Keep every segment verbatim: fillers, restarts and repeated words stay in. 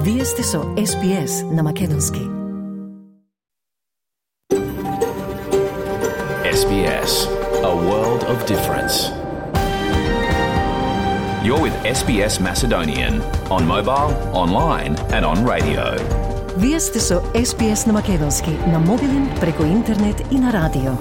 Вие сте со Ес Би Ес на Македонски. Ес Би Ес, a world of difference. You're with Ес Би Ес Macedonian on mobile, online and on radio. Вие сте со Ес Би Ес на Македонски, на мобилен, преку интернет и на радио.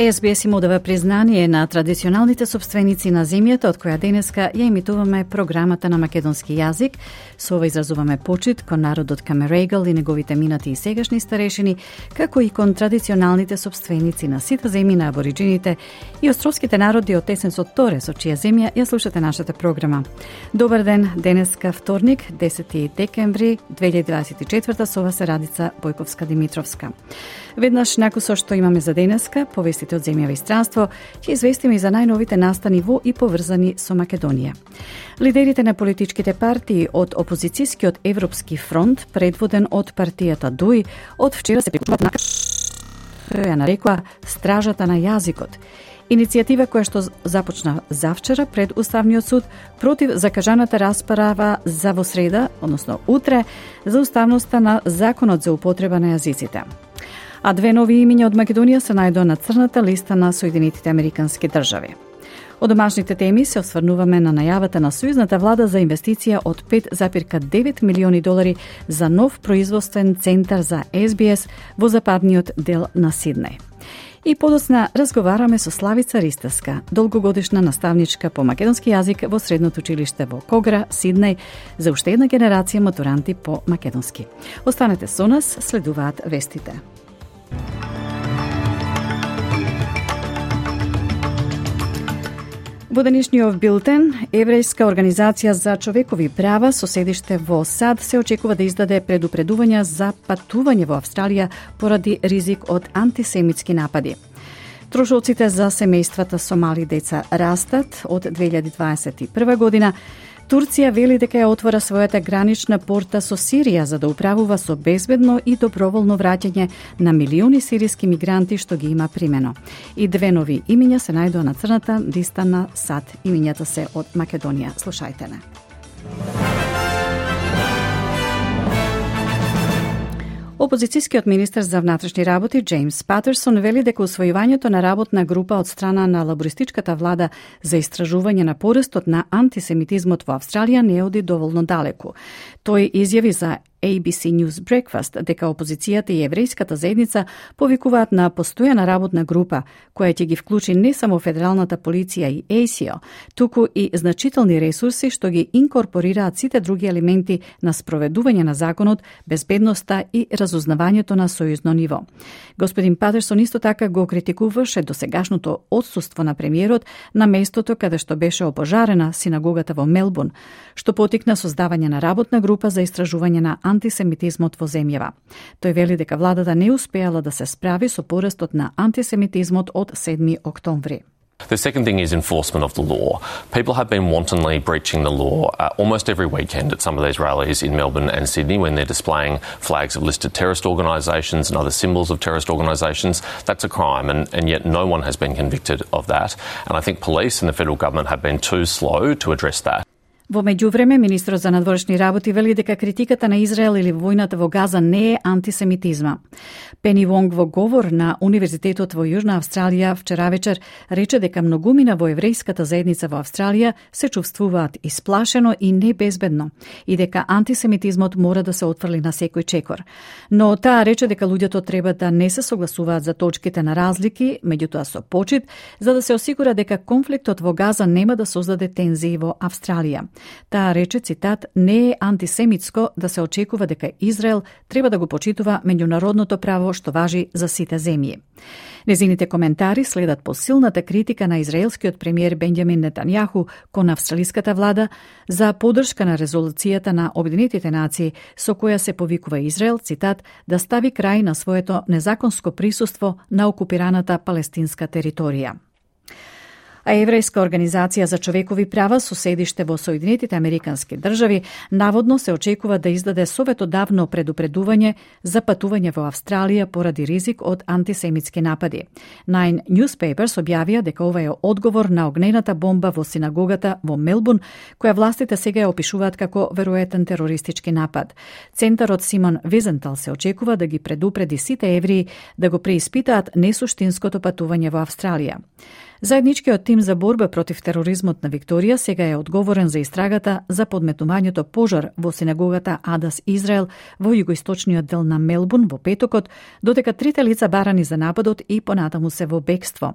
Ес Би Ес им одава признание на традиционалните собственици на земјата, од која денеска ја емитуваме програмата на македонски јазик. Со ова изразуваме почит кон народот Камерегал и неговите минати и сегашни старешини, како и кон традиционалните собственици на сите земји на абориджините и островските народи од Тесенсот Торе, со чија земја ја слушате нашата програма. Добар ден, денеска вторник, десети декември две илјади дваесет и четврта, со вас е Радица Бојковска-Димитровска. Веднаш наку со што имаме за денеска, повестите од земја и странство, ќе известиме и за најновите настани во и поврзани со Македонија. Лидерите на политичките партии од опозицијскиот Европски фронт, предводен од партијата Дуј, од вчера се приклучуваат на која ја нарекува Стражата на јазикот. Иницијатива која што започна завчера пред Уставниот суд против закажаната расправа за во среда, односно утре, за уставноста на Законот за употреба на јазиците. А две нови имиња од Македонија се најдоа на црната листа на Соединетите Американски држави. Од домашните теми се осврнуваме на најавата на сојузната влада за инвестиција од пет зарез девет милиони долари за нов производствен центар за Ес Би Ес во западниот дел на Сиднеј. И подоцна разговараме со Славица Ристевска, долгогодишна наставничка по македонски јазик во средното училиште во Когра, Сиднеј, за уште една генерација матуранти по македонски. Останете со нас, следуваат вестите. Во денешниот билтен, Еврејска организација за човекови права со седиште во САД се очекува да издаде предупредувања за патување во Австралија поради ризик од антисемитски напади. Трошоците за семејствата со мали деца растат од две илјади дваесет и прва година. Турција вели дека ја отвора својата гранична порта со Сирија за да управува со безбедно и доброволно враќање на милиони сириски мигранти што ги има примено. И две нови имиња се најдоа на црната листа на САД. Имињата се од Македонија. Слушајте не. Опозицијскиот министер за внатрешни работи Джеймс Патерсон вели дека усвојувањето на работна група од страна на лабористичката влада за истражување на порастот на антисемитизмот во Австралија не оди доволно далеку. Тој изјави за Ей Би Си News Breakfast дека опозицијата и еврејската заедница повикуваат на постојана работна група која ќе ги вклучи не само федералната полиција и Ей Си О, туку и значителни ресурси што ги инкорпорираат сите други елементи на спроведување на законот, безбедноста и разузнавањето на сојузно ниво. Господин Патерсон исто така го критикуваше досегашното отсуство на премиерот на местото каде што беше опожарена синагогата во Мелбурн, што потикна создавање на работна група за истражување на антисемитизмот во земјава. Тој вели дека владата не успеала да се справи со порастот на антисемитизмот од седми октомври. The second thing is enforcement of the law. People have been wantonly breaching the law uh, almost every weekend at some of these rallies in Melbourne and Sydney when they're displaying flags of listed terrorist organisations and other symbols of terrorist organisations. That's a crime, and, and yet no one has been convicted of that. And I think police and the federal government have been too slow to address that. Во меѓувреме, министрот за надворешни работи вели дека критиката на Израел или војната во Газа не е антисемитизма. Пени Вонг во говор на Универзитетот во Јужна Австралија вчера вечер рече дека многумина во еврејската заедница во Австралија се чувствуваат исплашено и небезбедно и дека антисемитизмот мора да се отфрли на секој чекор. Но таа рече дека луѓето треба да не се согласуваат за точките на разлики, меѓутоа со почит, за да се осигура дека конфликтот во Газа нема да создаде тензии во Австралија. Таа рече, цитат, не е антисемитско да се очекува дека Израел треба да го почитува меѓународното право што важи за сите земји. Незините коментари следат по силната критика на израелскиот премиер Бенџамин Нетањаху кон австралиската влада за поддршка на резолуцијата на Обединетите нации со која се повикува Израел, цитат, да стави крај на своето незаконско присуство на окупираната палестинска територија. А еврејска организација за човекови права со седиште во Соединетите Американски држави наводно се очекува да издаде советодавно предупредување за патување во Австралија поради ризик од антисемитски напади. Nine Newspapers објавија дека ова е одговор на огнената бомба во синагогата во Мелбурн, која властите сега ја опишуваат како веројатен терористички напад. Центарот Симон Визентал се очекува да ги предупреди сите евреи да го преиспитаат несуштинското патување во Австралија. Заедничкиот тим за борба против тероризмот на Викторија сега е одговорен за истрагата за подметнувањето пожар во синагогата Адас Израел во југоисточниот дел на Мелбурн во петокот, додека трите лица барани за нападот и понатаму се во бегство.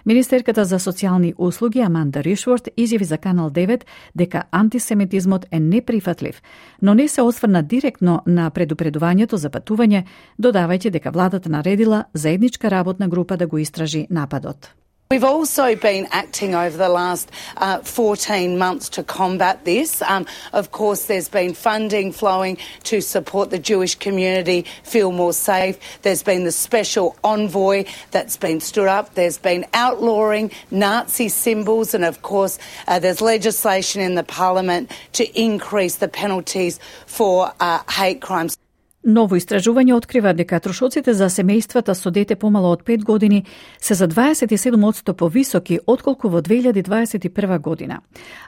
Министерката за социјални услуги Аманда Ришворт изјави за Канал девет дека антисемитизмот е неприфатлив, но не се осврна директно на предупредувањето за патување, додавајќи дека владата наредила заедничка работна група да го истражи нападот. We've also been acting over the last uh, fourteen months to combat this. Um, of course, there's been funding flowing to support the Jewish community feel more safe. There's been the special envoy that's been stood up. There's been outlawing Nazi symbols, and of course, uh, there's legislation in the parliament to increase the penalties for uh, hate crimes. Ново истражување открива дека трошоците за семејствата со дете помало од пет години се за дваесет и седум одсто повисоки отколку во две илјади дваесет и прва година.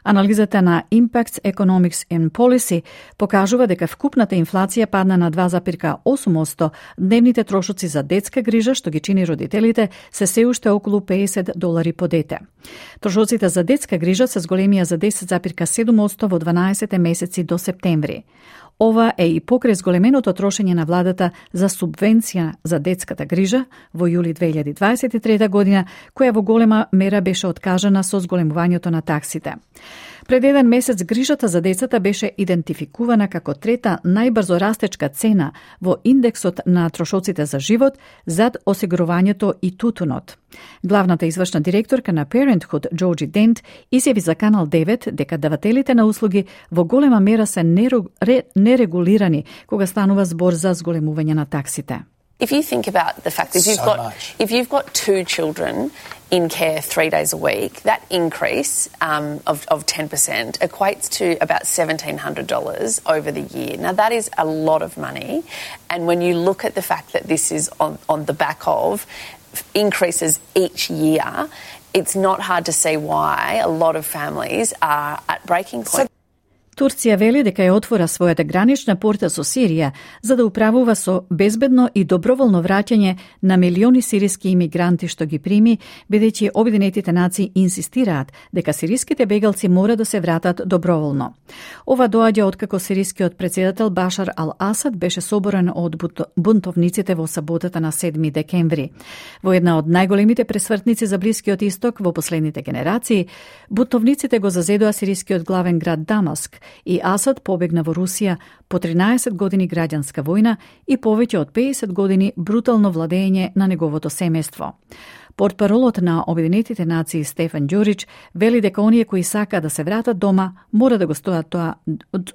Анализата на Impacts Economics and Policy покажува дека вкупната инфлација падна на два зарез осум одсто, дневните трошоци за детска грижа, што ги чини родителите, се се уште околу педесет долари по дете. Трошоците за детска грижа се зголемија за десет зарез седум одсто во дванаесет месеци до септември. Ова е и покрај зголеменото трошење на владата за субвенција за детската грижа во јули две илјади дваесет и трета година, која во голема мера беше откажана со зголемувањето на таксите. Пред еден месец грижата за децата беше идентификувана како трета најбрзо растечка цена во индексот на трошоците за живот зад осигурувањето и тутунот. Главната извршна директорка на Parenthood, Джорджи Дент, изјави за Канал девет дека давателите на услуги во голема мера се нерегулирани кога станува збор за зголемување на таксите. If you think about the fact that if you've So got much. if you've got two children in care three days a week, that increase um, of of ten percent equates to about seventeen hundred dollars over the year. Now that is a lot of money, and when you look at the fact that this is on on the back of increases each year, it's not hard to see why a lot of families are at breaking point. Турција вели дека ја отвора својата гранична порта со Сирија за да управува со безбедно и доброволно враќање на милиони сириски имигранти што ги прими, бидејќи Обединетите нации инсистираат дека сириските бегалци мора да се вратат доброволно. Ова доаѓа откако сирискиот претседател Башар ал-Асад беше соборен од бунтовниците во саботата на седми декември. Во една од најголемите пресвртници за Блискиот исток во последните генерации, бунтовниците го зазедоа сирискиот главен град Дамаск и Асад побегна во Русија по тринаесет години граѓанска војна и повеќе од педесет години брутално владење на неговото семејство. Портпаролот на Обединетите нации Стефан Ѓурич вели дека оние кои сака да се вратат дома мора да го стоат тоа,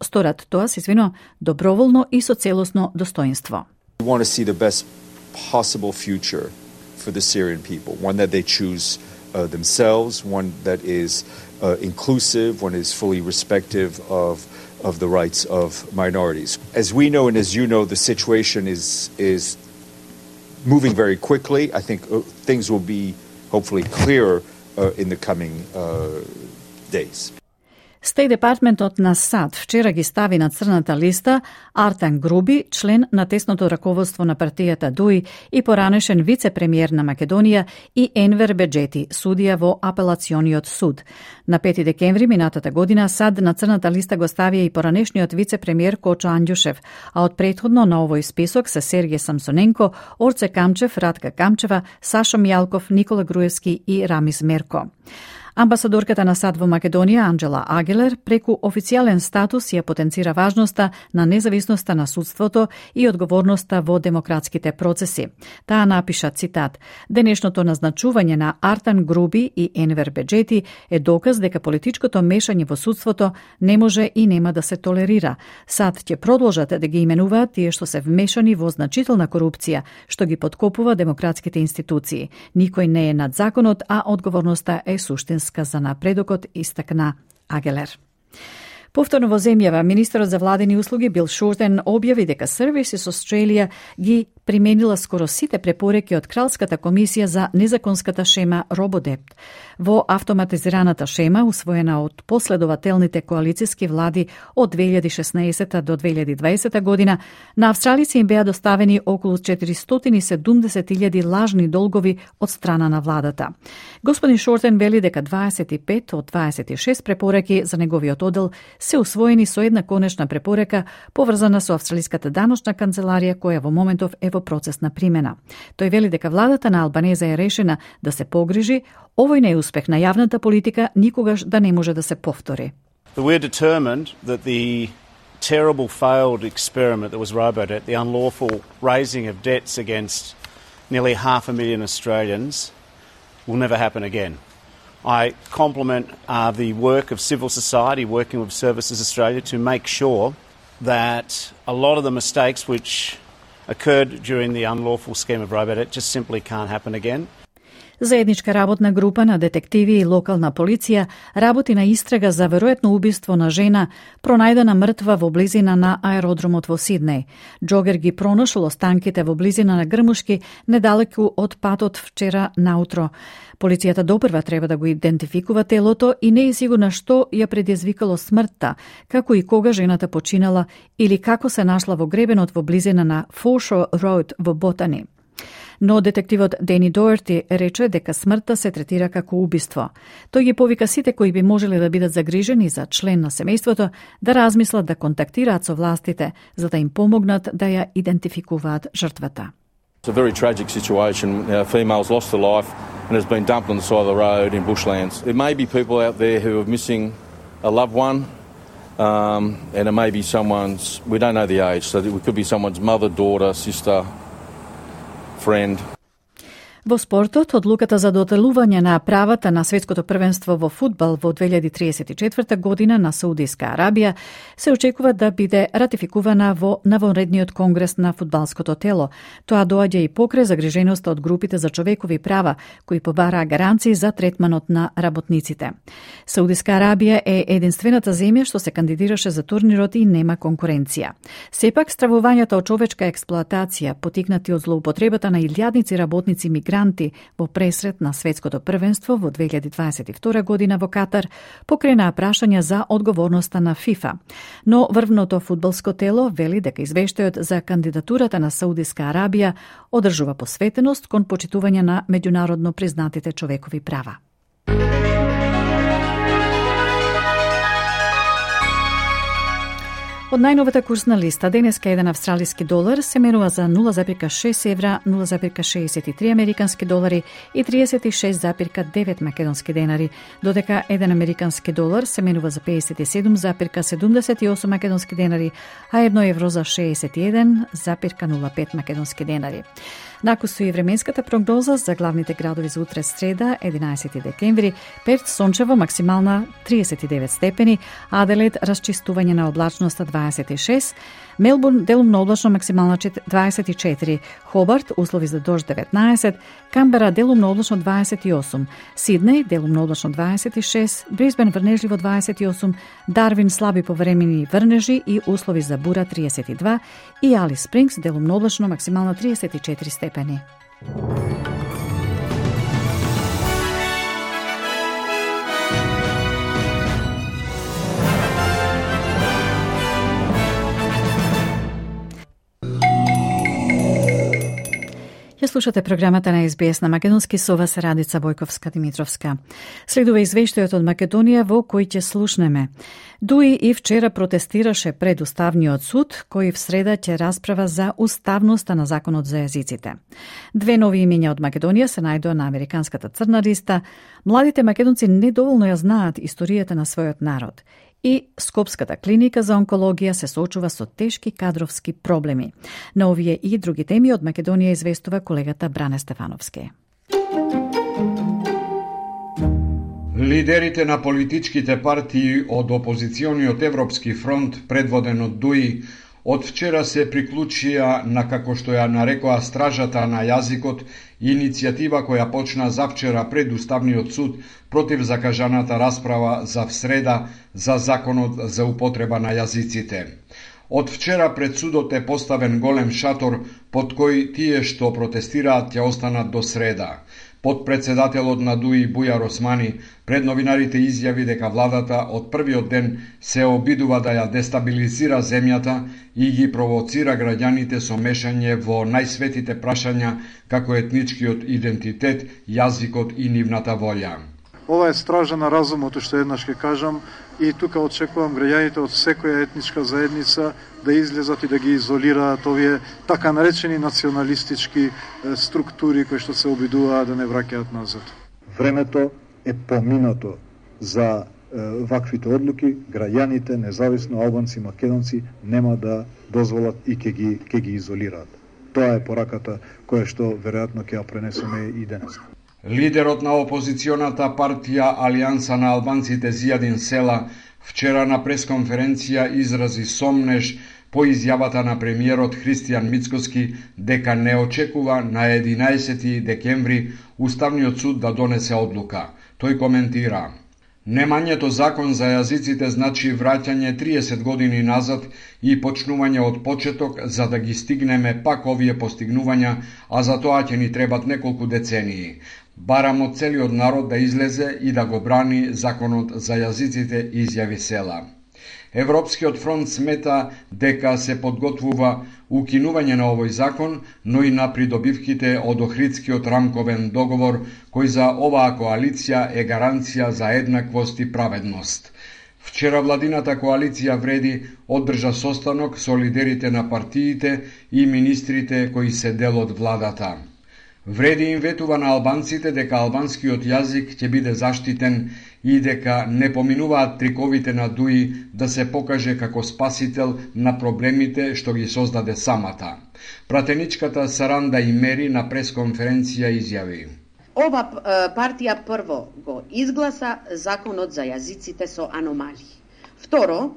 сторат тоа, се извино, доброволно и со целосно достоинство. We want to see the best possible future for the Syrian people, one that they choose uh, themselves, one that is uh, inclusive, one is fully respective of of the rights of minorities. As we know and as you know, the situation is is moving very quickly. I think uh, things will be hopefully clearer uh, in the coming uh, days. Стеј департментот на САД вчера ги стави на црната листа Артан Груби, член на тесното раководство на партијата ДУИ и поранешен вице-премиер на Македонија, и Енвер Беџети, судија во апелациониот суд. На пети декември минатата година САД на црната листа го ставија и поранешниот вице-премиер Кочо Андјушев, а од претходно на овој список се Сергеј Самсоненко, Орце Камчев, Ратка Камчева, Сашо Мијалков, Никола Груевски и Рамис Мерко. Амбасадорката на САД во Македонија, Анџела Агелер, преку официјален статус ја потенцира важноста на независноста на судството и одговорноста во демократските процеси. Таа напиша, цитат: "Денешното назначување на Артан Груби и Енвер Беџети е доказ дека политичкото мешање во судството не може и нема да се толерира. САД ќе продолжат да ги именуваат тие што се вмешани во значителна корупција, што ги подкопува демократските институции. Никој не е над законот, а одговорноста е суштинска." врска за напредокот, истакна Агелер. Повторно во земјава, министерот за владени услуги Бил Шортен објави дека Services Australia ги применила скоро сите препореки од Кралската комисија за незаконската шема RoboDebt. Во автоматизираната шема, усвоена од последователните коалициски влади од две илјади и шеснаесета до две илјади и дваесета година, на австралици им беа доставени околу четиристотини и седумдесет илјади лажни долгови од страна на владата. Господин Шортен вели дека дваесет и пет од дваесет и шест препореки за неговиот одел се усвоени со една конечна препорека поврзана со австралиската даночна канцеларија која во моментов е во процес на примена. Тој вели дека владата на Албанеза е решена да се погрижи овој неуспех на јавната политика никогаш да не може да се повтори. We're determined that the terrible failed experiment that was RoboDebt, the unlawful raising of debts against nearly half a million Australians, will never happen again. I compliment uh, the work of civil society working with Services Australia to make sure that a lot of the mistakes which occurred during the unlawful scheme of RoboDebt just simply can't happen again. Заедничка работна група на детективи и локална полиција работи на истрага за веројатно убиство на жена пронајдена мртва во близина на аеродромот во Сиднеј. Джогер ги пронашол останките во близина на грмушки недалеку од патот вчера наутро. Полицијата допрва треба да го идентификува телото и не е сигурна што ја предизвикало смртта, како и кога жената починала или како се нашла во гребенот во близина на Foreshore Road во Ботани. Но детективот Дени Доерти рече дека смртта се третира како убиство. Тој ги повика сите кои би можеле да бидат загрижени за член на семејството да размислат да контактираат со властите за да им помогнат да ја идентификуваат жртвата. It's a very tragic situation. A female's lost her life and has been dumped on the side of the road in bushlands. There may be people out there who are missing a loved one, um, and it may be someone's, we don't know the age, so it could be someone's mother, daughter, sister, friend. Во спортот, одлуката за доделување на правата на светското првенство во фудбал во две илјади триесет и четврта година на Саудиска Арабија се очекува да биде ратификувана во навонредниот конгрес на фудбалското тело. Тоа доаѓа и покрај загриженоста од групите за човекови права, кои побараа гаранции за третманот на работниците. Саудиска Арабија е единствената земја што се кандидираше за турнирот и нема конкуренција. Сепак, стравувањата од човечка експлоатација, потикнати од злоупотребата на илјадници работници мигранти во пресрет на светското првенство во две илјади дваесет и втора година во Катар, покренаа прашања за одговорноста на ФИФА. Но врвното фудбалско тело вели дека извештајот за кандидатурата на Саудиска Арабија одржува посветеност кон почитување на меѓународно признатите човекови права. Од најновата курсна листа, денеска еден австралиски долар се менува за нула запирка шест евра, нула запирка шеесет и три американски долари и триесет и шест запирка девет македонски денари, додека еден американски долар се менува за пеесет и седум запирка седумдесет и осум македонски денари, а едно евро за шеесет и еден запирка нула пет македонски денари. Накусу и временската прогноза за главните градови за утре среда, единаесети декември, Перт сончево максимална триесет и девет степени, Аделаид расчистување на облачноста дваесет и шест, Мелбурн делумно облачно максимална дваесет и четири, Хобарт услови за дожд деветнаесет, Камбера делумно облачно дваесет и осум, Сиднеј делумно облачно дваесет и шест, Брисбен врнежливо дваесет и осум, Дарвин слаби повремени врнежи и услови за бура триесет и два и Алис Спрингс делумно облачно максимална триесет и четири степени. Ја слушате програмата на Ес Би Ес на македонски, со вас Радица Бојковска-Димитровска. Следува извештајот од Македонија во кој ќе слушнеме. Дуи и вчера протестираше пред Уставниот суд, кој в среда ќе расправа за уставноста на законот за јазиците. Две нови имења од Македонија се најдоа на американската црна листа. Младите македонци недоволно ја знаат историјата на својот народ. И Скопската клиника за онкологија се соочува со тешки кадровски проблеми. На овие и други теми од Македонија известува колегата Бране Стефановски. Лидерите на политичките партии од опозициониот Европски фронт, предводен од Дуи, Од вчера се приклучија на, како што ја нарекоа стражата на јазикот, иницијатива која почна завчера пред Уставниот суд против закажаната расправа за всреда за законот за употреба на јазиците. Од вчера пред судот е поставен голем шатор под кој тие што протестираат ќе останат до среда. Подпредседателот на ДУИ Бујар Османи пред новинарите изјави дека владата од првиот ден се обидува да ја дестабилизира земјата и ги провоцира граѓаните со мешање во најсветите прашања како етничкиот идентитет, јазикот и нивната волја. Ова е стража на разумот, што еднаш ќе кажам, и тука очекувам граѓаните од секоја етничка заедница да излезат и да ги изолираат овие така наречени националистички структури кои што се обидуваат да не враќаат назад. Времето е поминато за е, ваквите одлуки. Граѓаните, независно албанци, македонци, нема да дозволат и ќе ги, ќе ги изолираат. Тоа е пораката која што веројатно ќе ја пренесеме и денес. Лидерот на опозиционата партија Алијанса на албанците Зијадин Села вчера на пресконференција изрази сомнеж по изјавата на премиерот Христијан Мицкоски дека не очекува на единаесети декември Уставниот суд да донесе одлука. Тој коментира: немањето закон за јазиците значи враќање триесет години назад и почнување од почеток за да ги стигнеме пак овие постигнувања, а за тоа ќе ни требат неколку децении. Барам од целиот народ да излезе и да го брани законот за јазиците, изјави Села. Европскиот фронт смета дека се подготвува укинување на овој закон, но и на придобивките од Охридскиот рамковен договор, кој за оваа коалиција е гаранција за еднаквост и праведност. Вчера владината коалиција Вреди одржа состанок со лидерите на партиите и министрите кои се дел од владата. Вреди им ветува на албанците дека албанскиот јазик ќе биде заштитен и дека не поминуваат триковите на ДУИ да се покаже како спасител на проблемите што ги создаде самата. Пратеничката Саранда Имери на пресконференција изјави: Ова партија прво го изгласа законот за јазиците со аномалии. Второ,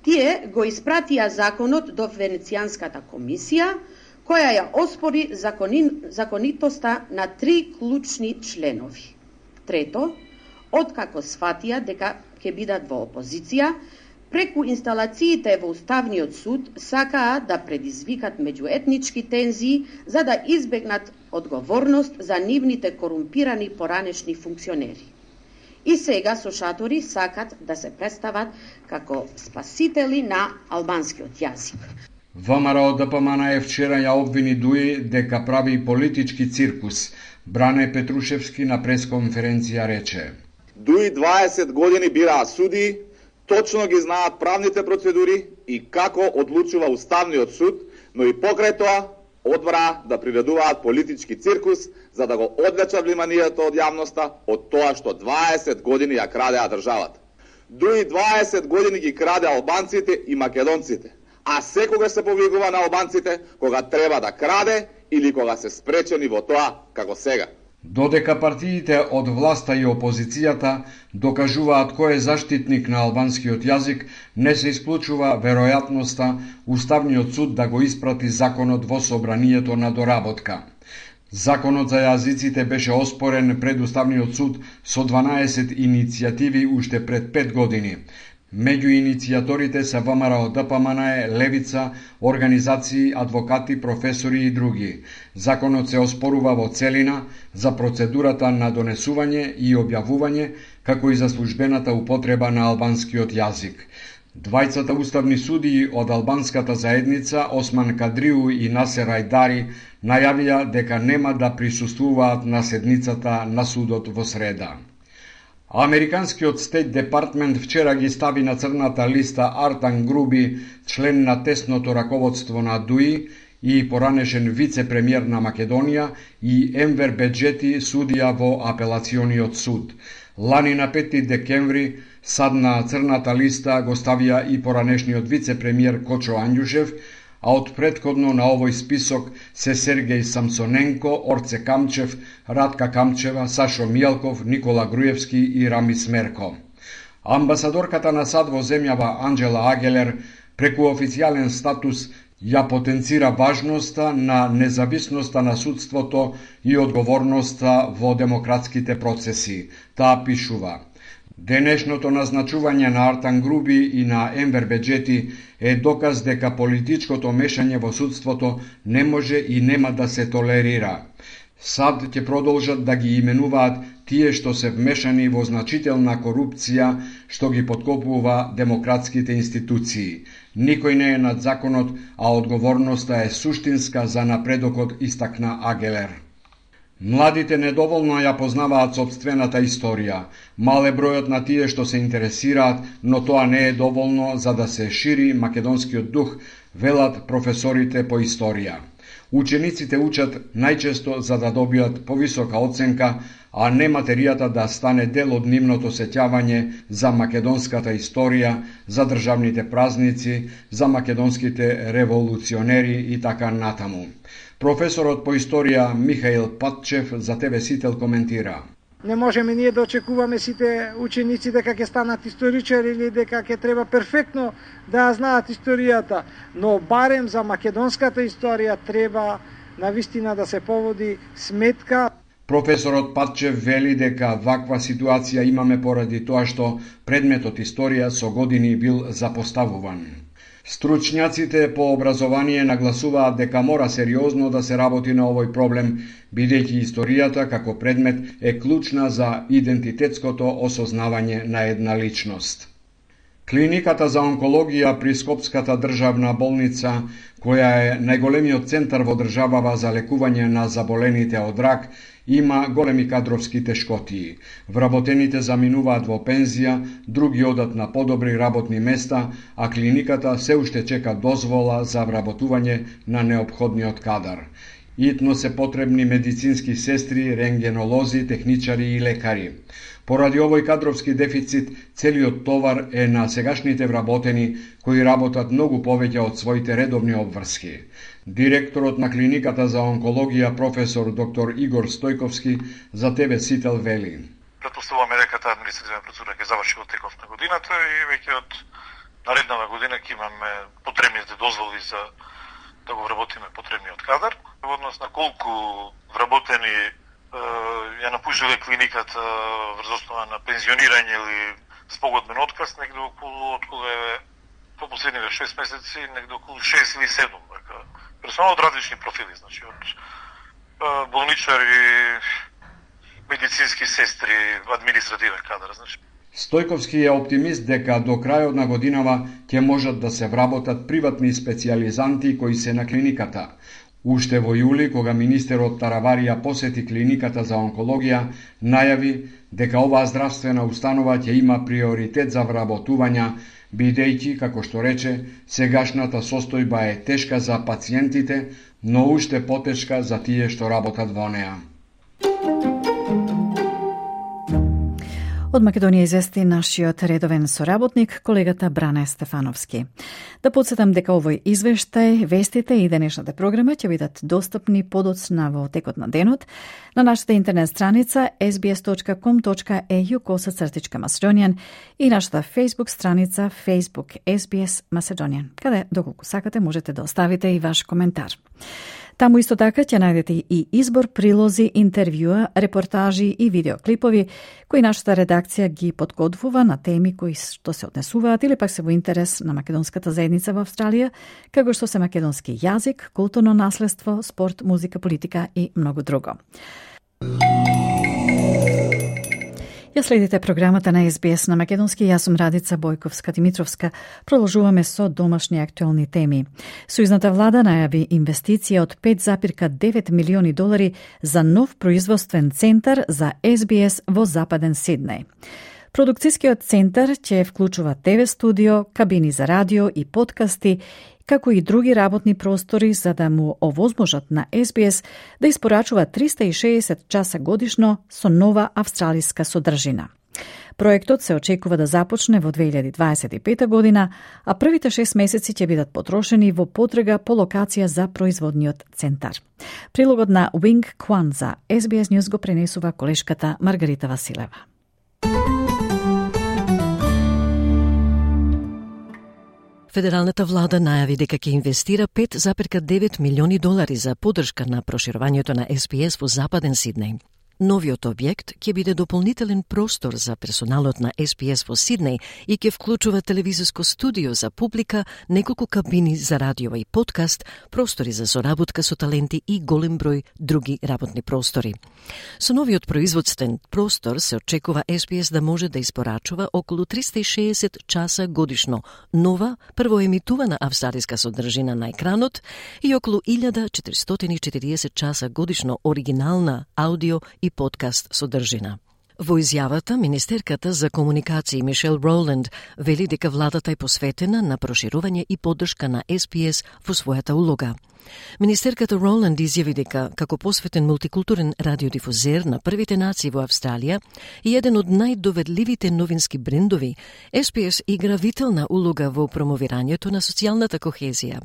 тие го испратија законот до Венецијанската комисија, која ја оспори законин, законитоста на три клучни членови. Трето, откако сфатија дека ќе бидат во опозиција, преку инсталациите во Уставниот суд сакаа да предизвикат меѓуетнички тензии за да избегнат одговорност за нивните корумпирани поранешни функционери. И сега со шатори сакат да се представат како спасители на албанскиот јазик. ВМРО ДПМН е вчера ја обвини ДУИ дека прави политички циркус. Бране Петрушевски на пресконференција рече: ДУИ дваесет години бираа суди, точно ги знаат правните процедури и како одлучува Уставниот суд, но и покрај тоа одбра да приредуваат политички циркус за да го одвлечат вниманието од јавноста од тоа што дваесет години ја крадеа државата. ДУИ дваесет години ги краде албанците и македонците, а секогаш се повикува на албанците кога треба да краде или кога се спречени во тоа како сега. Додека партиите од власта и опозицијата докажуваат кој е заштитник на албанскиот јазик, не се исклучува веројатноста Уставниот суд да го испрати законот во собранието на доработка. Законот за јазиците беше оспорен пред Уставниот суд со дванаесет иницијативи уште пред пет години. Меѓу иницијаторите се ВМРО ДПМН, Левица, организации, адвокати, професори и други. Законот се оспорува во целина за процедурата на донесување и објавување, како и за службената употреба на албанскиот јазик. Двајцата уставни судии од албанската заедница, Осман Кадриу и Насер Ајдари, најавија дека нема да присуствуваат на седницата на судот во среда. Американскиот Стейт Департмент вчера ги стави на црната листа Артан Груби, член на тесното раководство на ДУИ и поранешен вице-премиер на Македонија, и Енвер Беджети, судија во апелациониот суд. Лани на пети декември сад на црната листа го ставија и поранешниот вице-премиер Кочо Анѓушев, а од претходно на овој список се Сергеј Самсоненко, Орце Камчев, Радка Камчева, Сашо Мијалков, Никола Груевски и Рами Смерко. Амбасадорката на САД во земјава Анџела Агелер Преку официјален статус ја потенцира важноста на независноста на судството и одговорноста во демократските процеси. Таа пишува: денешното назначување на Артан Груби и на Ембер Беџети е доказ дека политичкото мешање во судството не може и нема да се толерира. САД ќе продолжат да ги именуваат тие што се вмешани во значителна корупција што ги подкопува демократските институции. Никој не е над законот, а одговорноста е суштинска за напредокот, истакна Агелер. Младите недоволно ја познаваат сопствената историја. Мал е бројот на тие што се интересираат, но тоа не е доволно за да се шири македонскиот дух, велат професорите по историја. Учениците учат најчесто за да добијат повисока оценка, а не материјата да стане дел од нивното сеќавање за македонската историја, за државните празници, за македонските револуционери и така натаму. Професорот по историја Михаил Патчев за Те Ве Сител коментира: не можеме ние да очекуваме сите ученици дека ќе станат историчари или дека ќе треба перфектно да знаат историјата, но барем за македонската историја треба навистина да се поводи сметка. Професорот Патчев вели дека ваква ситуација имаме поради тоа што предметот историја со години бил запоставуван. Стручњаците по образование нагласуваат дека мора сериозно да се работи на овој проблем, бидејќи историјата како предмет е клучна за идентитетското осознавање на една личност. Клиниката за онкологија при Скопската државна болница, која е најголемиот центар во државава за лекување на заболените од рак, има големи кадровски тешкотии. Вработените заминуваат во пензија, други одат на подобри работни места, а клиниката се уште чека дозвола за вработување на неопходниот кадар. Итно се потребни медицински сестри, рентгенолози, техничари и лекари. Поради овој кадровски дефицит, целиот товар е на сегашните вработени, кои работат многу повеќе од своите редовни обврски. Директорот на клиниката за онкологија, професор доктор Игор Стојковски, за Те Ве Сител вели: претпоставуваме дека таа административна процедура ќе заврши во текот на годината и веќе од нареднава година ќе имаме потребните дозволи за да го вработиме потребниот кадар. Во однос на колку вработени ја напуштиле клиниката врз основа на пензионирање или спогодбен отказ, негде околу од кога е по последниве шест месеци, негде околу шест или седум. Персонал од различни профили, значи од болничари, медицински сестри, административен кадар, значи. Стојковски е оптимист дека до крајот на годинава ќе можат да се вработат приватни специјализанти кои се на клиниката. Уште во јули, кога министерот Тараварија посети клиниката за онкологија, најави дека оваа здравствена установа ќе има приоритет за вработувања, бидејќи, како што рече, сегашната состојба е тешка за пациентите, но уште потешка за тие што работат во неа. Од Македонија извести нашиот редовен соработник, колегата Бране Стефановски. Да подсетам дека овој извештај, вестите и денешната програма ќе бидат достапни подоцна во текот на денот на нашата интернет страница ес би ес точка ком точка е ю косацртичка Macedonian и нашата Facebook страница Facebook ес би ес Macedonian, каде доколку сакате можете да оставите и ваш коментар. Таму исто така ќе најдете и избор прилози, интервјуа, репортажи и видеоклипови кои нашата редакција ги подготвува на теми кои што се однесуваат или пак се во интерес на македонската заедница во Австралија, како што се македонски јазик, културно наследство, спорт, музика, политика и многу друго. Ја следите програмата на ес би ес на македонски. Јас сум Радица Бојковска-Димитровска. Продолжуваме со домашни актуелни теми. Сојузната влада најави инвестиција од пет запирка девет милиони долари за нов производствен центар за ес би ес во Западен Сиднеј. Продукцијскиот центар ќе вклучува те ве студио, кабини за радио и подкасти, како и други работни простори за да му овозможат на ес би ес да испорачува триста и шеесет часа годишно со нова австралиска содржина. Проектот се очекува да започне во две илјади дваесет и пета година, а првите шест месеци ќе бидат потрошени во потрага по локација за производниот центар. Прилогот на Wing Kwan за ес би ес News го пренесува колешката Маргарита Василева. Федералната влада најави дека ќе инвестира пет зарез девет милиони долари за поддршка на проширувањето на Ес Би Ес во Западен Сиднеј. Новиот објект ќе биде дополнителен простор за персоналот на Ес Би Ес во Сиднеј и ќе вклучува телевизиско студио за публика, неколку кабини за радио и подкаст, простори за соработка со таленти и голем број други работни простори. Со новиот производствен простор се очекува Ес Би Ес да може да испорачува околу триста и шеесет часа годишно нова, првоемитувана австралиска содржина на екранот и околу илјада четиристотини и четириесет часа годишно оригинална аудио и подкаст содржина. Во изјавата, министерката за комуникации Мишел Роланд вели дека владата е посветена на проширување и поддршка на Ес Би Ес во својата улога. Министерката Роланд изјави дека, како посветен мултикултурен радиодифузер на првите нации во Австралија и еден од најдоведливите новински брендови, Ес Би Ес игра витална улога во промовирањето на социјалната кохезија.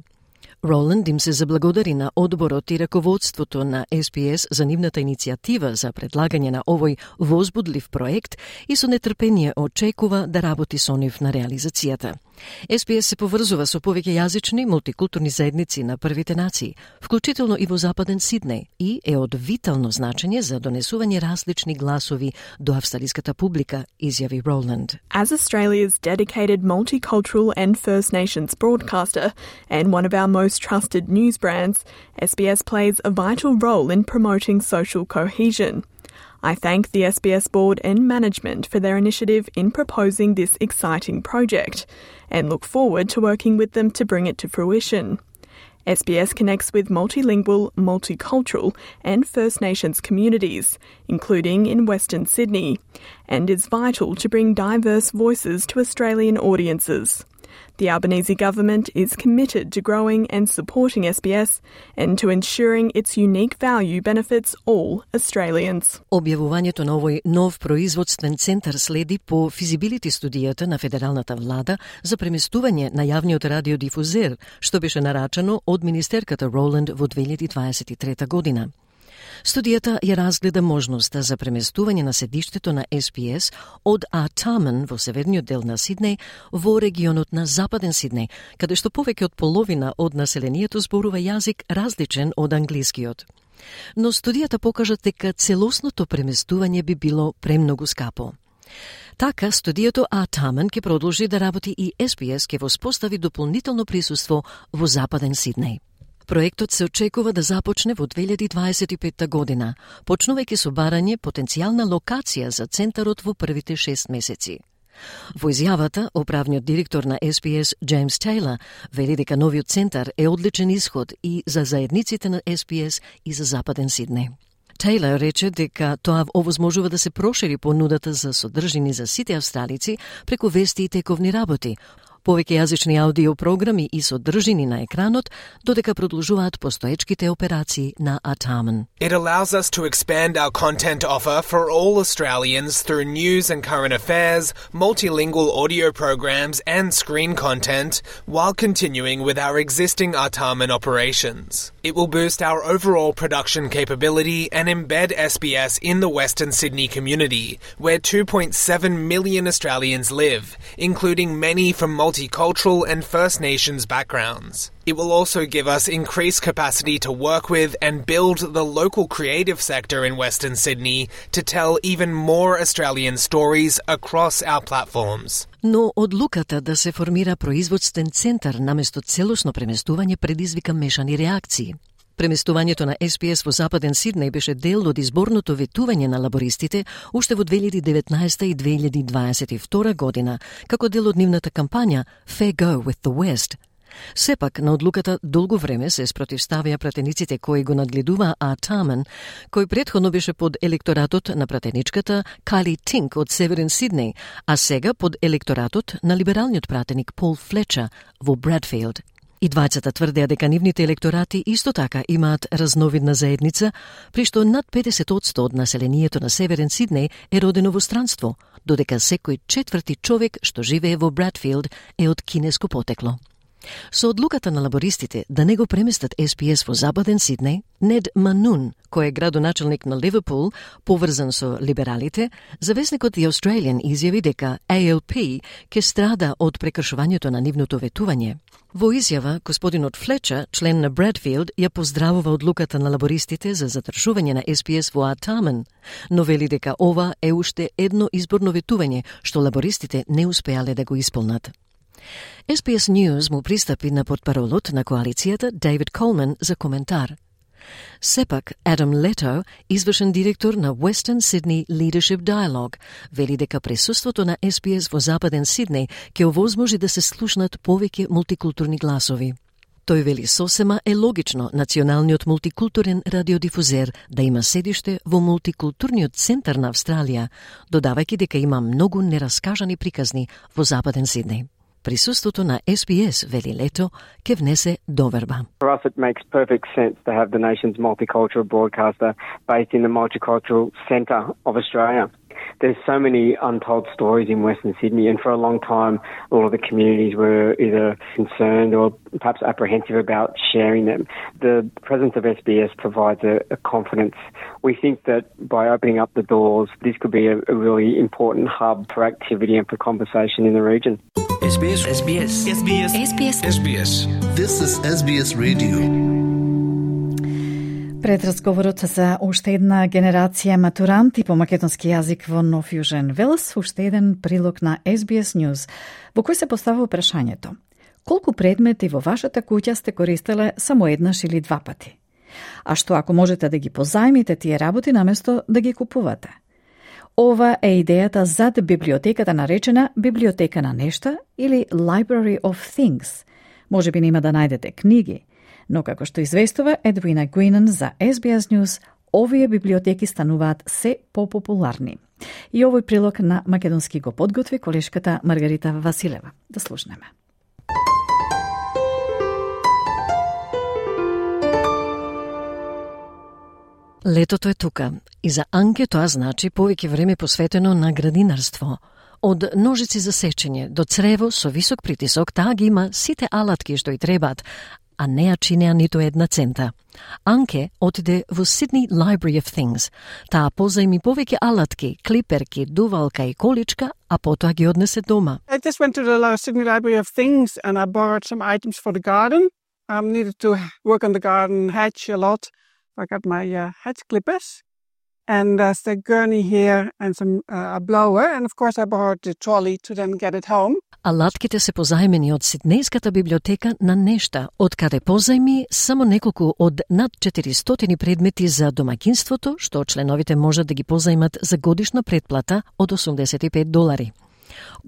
Роланд им се заблагодари на одборот и раководството на Ес Би Ес за нивната иницијатива за предлагање на овој возбудлив проект и со нетрпение очекува да работи со нив на реализацијата. Ес Би Ес се поврзува со повеќе јазични мултикултурни заедници на првите нации, вклучително и во Западен Сиднеј, и е од витално значење за донесување различни гласови до австралиската публика, изјави Роланд. As Australia's dedicated multicultural and First Nations broadcaster and one of our most trusted news brands, Ес Би Ес plays a vital role in promoting social cohesion. I thank the Ес Би Ес board and management for their initiative in proposing this exciting project and look forward to working with them to bring it to fruition. Ес Би Ес connects with multilingual, multicultural and First Nations communities, including in Western Sydney, and is vital to bring diverse voices to Australian audiences. The Albanese government is committed to growing and supporting Ес Би Ес and to ensuring its unique value benefits all Australians. Објавувањето на овој нов производствен центар следи по физибилити студијата на федералната влада за преместување на јавниот радиодифузер, што беше нарачано од министерката Роланд во две илјади дваесет и трета година. Студијата ја разгледа можноста за преместување на седиштето на Ес Би Ес од Артаман во северниот дел на Сиднеј во регионот на Западен Сиднеј, каде што повеќе од половина од населението зборува јазик различен од англискиот. Но студијата покажа дека целосното преместување би било премногу скапо. Така, студијето Артаман ќе продолжи да работи и Ес Би Ес ќе воспостави дополнително присуство во Западен Сиднеј. Проектот се очекува да започне во две илјади дваесет и петта година, почнувајќи со барање потенцијална локација за центарот во првите шест месеци. Во изјавата, управниот директор на Ес Би Ес, Джеймс Тейлор, вели дека новиот центар е одличен исход и за заедниците на Ес Би Ес и за Западен Сиднеј. Тейлор рече дека тоа овозможува да се прошири понудата за содржини за сите австралици преку вести и тековни работи, повеќе јазични аудиопрограми и содржини на екранот, додека продолжуваат постоечките операции на Артаман. It allows us to expand our content offer for all Australians through news and current affairs, multilingual audio programs and screen content, while continuing with our existing Артаман operations. It will boost our overall production capability and embed Ес Би Ес in the Western Sydney community, where two point seven million Australians live, including many from multicultural and First Nations backgrounds. It will also give us increased capacity to work with and build the local creative sector in Western Sydney to tell even more Australian stories across our platforms. Но одлуката да се формира производствен центар наместо целосно преместување предизвика мешани реакции. Преместувањето на Ес Би Ес во Западен Сиднеј беше дел од изборното ветување на лабористите уште во две илјади деветнаесета и две илјади дваесет и втора година, како дел од нивната кампања Fair Go with the West. Сепак, на одлуката долго време се спротивставија пратениците кои го надгледуваа Артаман, кој претходно беше под електоратот на пратеничката Кайли Тинк од Северен Сиднеј, а сега под електоратот на либералниот пратеник Пол Флечер во Брадфилд. И двајцата тврдеа дека нивните електорати исто така имаат разновидна заедница, при што над педесет одсто од населението на Северен Сиднеј е родено во странство, додека секој четврти човек што живее во Брадфилд е од кинеско потекло. Со одлуката на лабористите да не го преместат Ес Би Ес во Западен Сиднеј, Нед Манун, кој е градоначелник на Ливерпул, поврзан со либералите, завесникот The Australian изјави дека А Ел Пи ќе страда од прекршувањето на нивното ветување. Во изјава, господинот Флечер, член на Бредфилд, ја поздравува одлуката на лабористите за задржување на Ес Би Ес во Артаман, но вели дека ова е уште едно изборно ветување што лабористите не успеале да го исполнат. Ес Би Ес News му пристапи на портпаролот на коалицијата Дейвид Колман за коментар. Сепак, Адам Лето, извршен директор на Western Sydney Leadership Dialogue, вели дека присуството на Ес Би Ес во Западен Сиднеј ќе овозможи да се слушнат повеќе мултикултурни гласови. Тој вели сосема е логично националниот мултикултурен радиодифузер да има седиште во мултикултурниот центар на Австралија, додавајќи дека има многу нераскажани приказни во Западен Сиднеј. Присуството на Ес Би Ес, вели Лето, ќе внесе доверба. For us it makes perfect sense to have the nation's multicultural broadcaster based in the multicultural centre of Australia. There's so many untold stories in Western Sydney, and for a long time all of the communities were either concerned or perhaps apprehensive about sharing them. The presence of Ес Би Ес provides a, a confidence. We think that by opening up the doors, this could be a, a really important hub for activity and for conversation in the region. Ес Би Ес. Ес Би Ес. Ес Би Ес. Ес Би Ес. Ес Би Ес. This is Ес Би Ес Radio. Пред разговорот за уште една генерација матуранти по македонски јазик во Нов Јужен Велс, уште еден прилог на Ес Би Ес News, во кој се поставува прашањето: колку предмети во вашата куќа сте користеле само еднаш или два пати? А што ако можете да ги позајмите тие работи наместо да ги купувате? Ова е идејата зад библиотеката наречена Библиотека на нешта или Library of Things. Може би нема да најдете книги, но како што известува Едвина Гуинан за Ес Би Ес News, овие библиотеки стануваат се попопуларни. И овој прилог на македонски го подготви колешката Маргарита Василева. Да слушнеме. Летото е тука и за Анке тоа значи повеќе време посветено на градинарство. Од ножици за сечење до црево со висок притисок, таа ги има сите алатки што й требаат, а не ја чинеа ниту една цента. Анке отиде во Sydney Library of Things. Таа позајми повеќе алатки, клиперки, дувалка и количка, а потоа ги однесе дома. I just went to the Sydney Library of Things and I borrowed some items for the garden. I um, needed to work on the garden hedge a lot. I got my uh, hedge clippers and uh, the gurney here and some uh, a blower, and of course I borrowed the trolley to then get it home. Алатките се позајмени од Сиднејската библиотека на нешта, од каде позајми само неколку од над четиристотини предмети за домаќинството, што членовите можат да ги позајмат за годишна претплата од осумдесет и пет долари.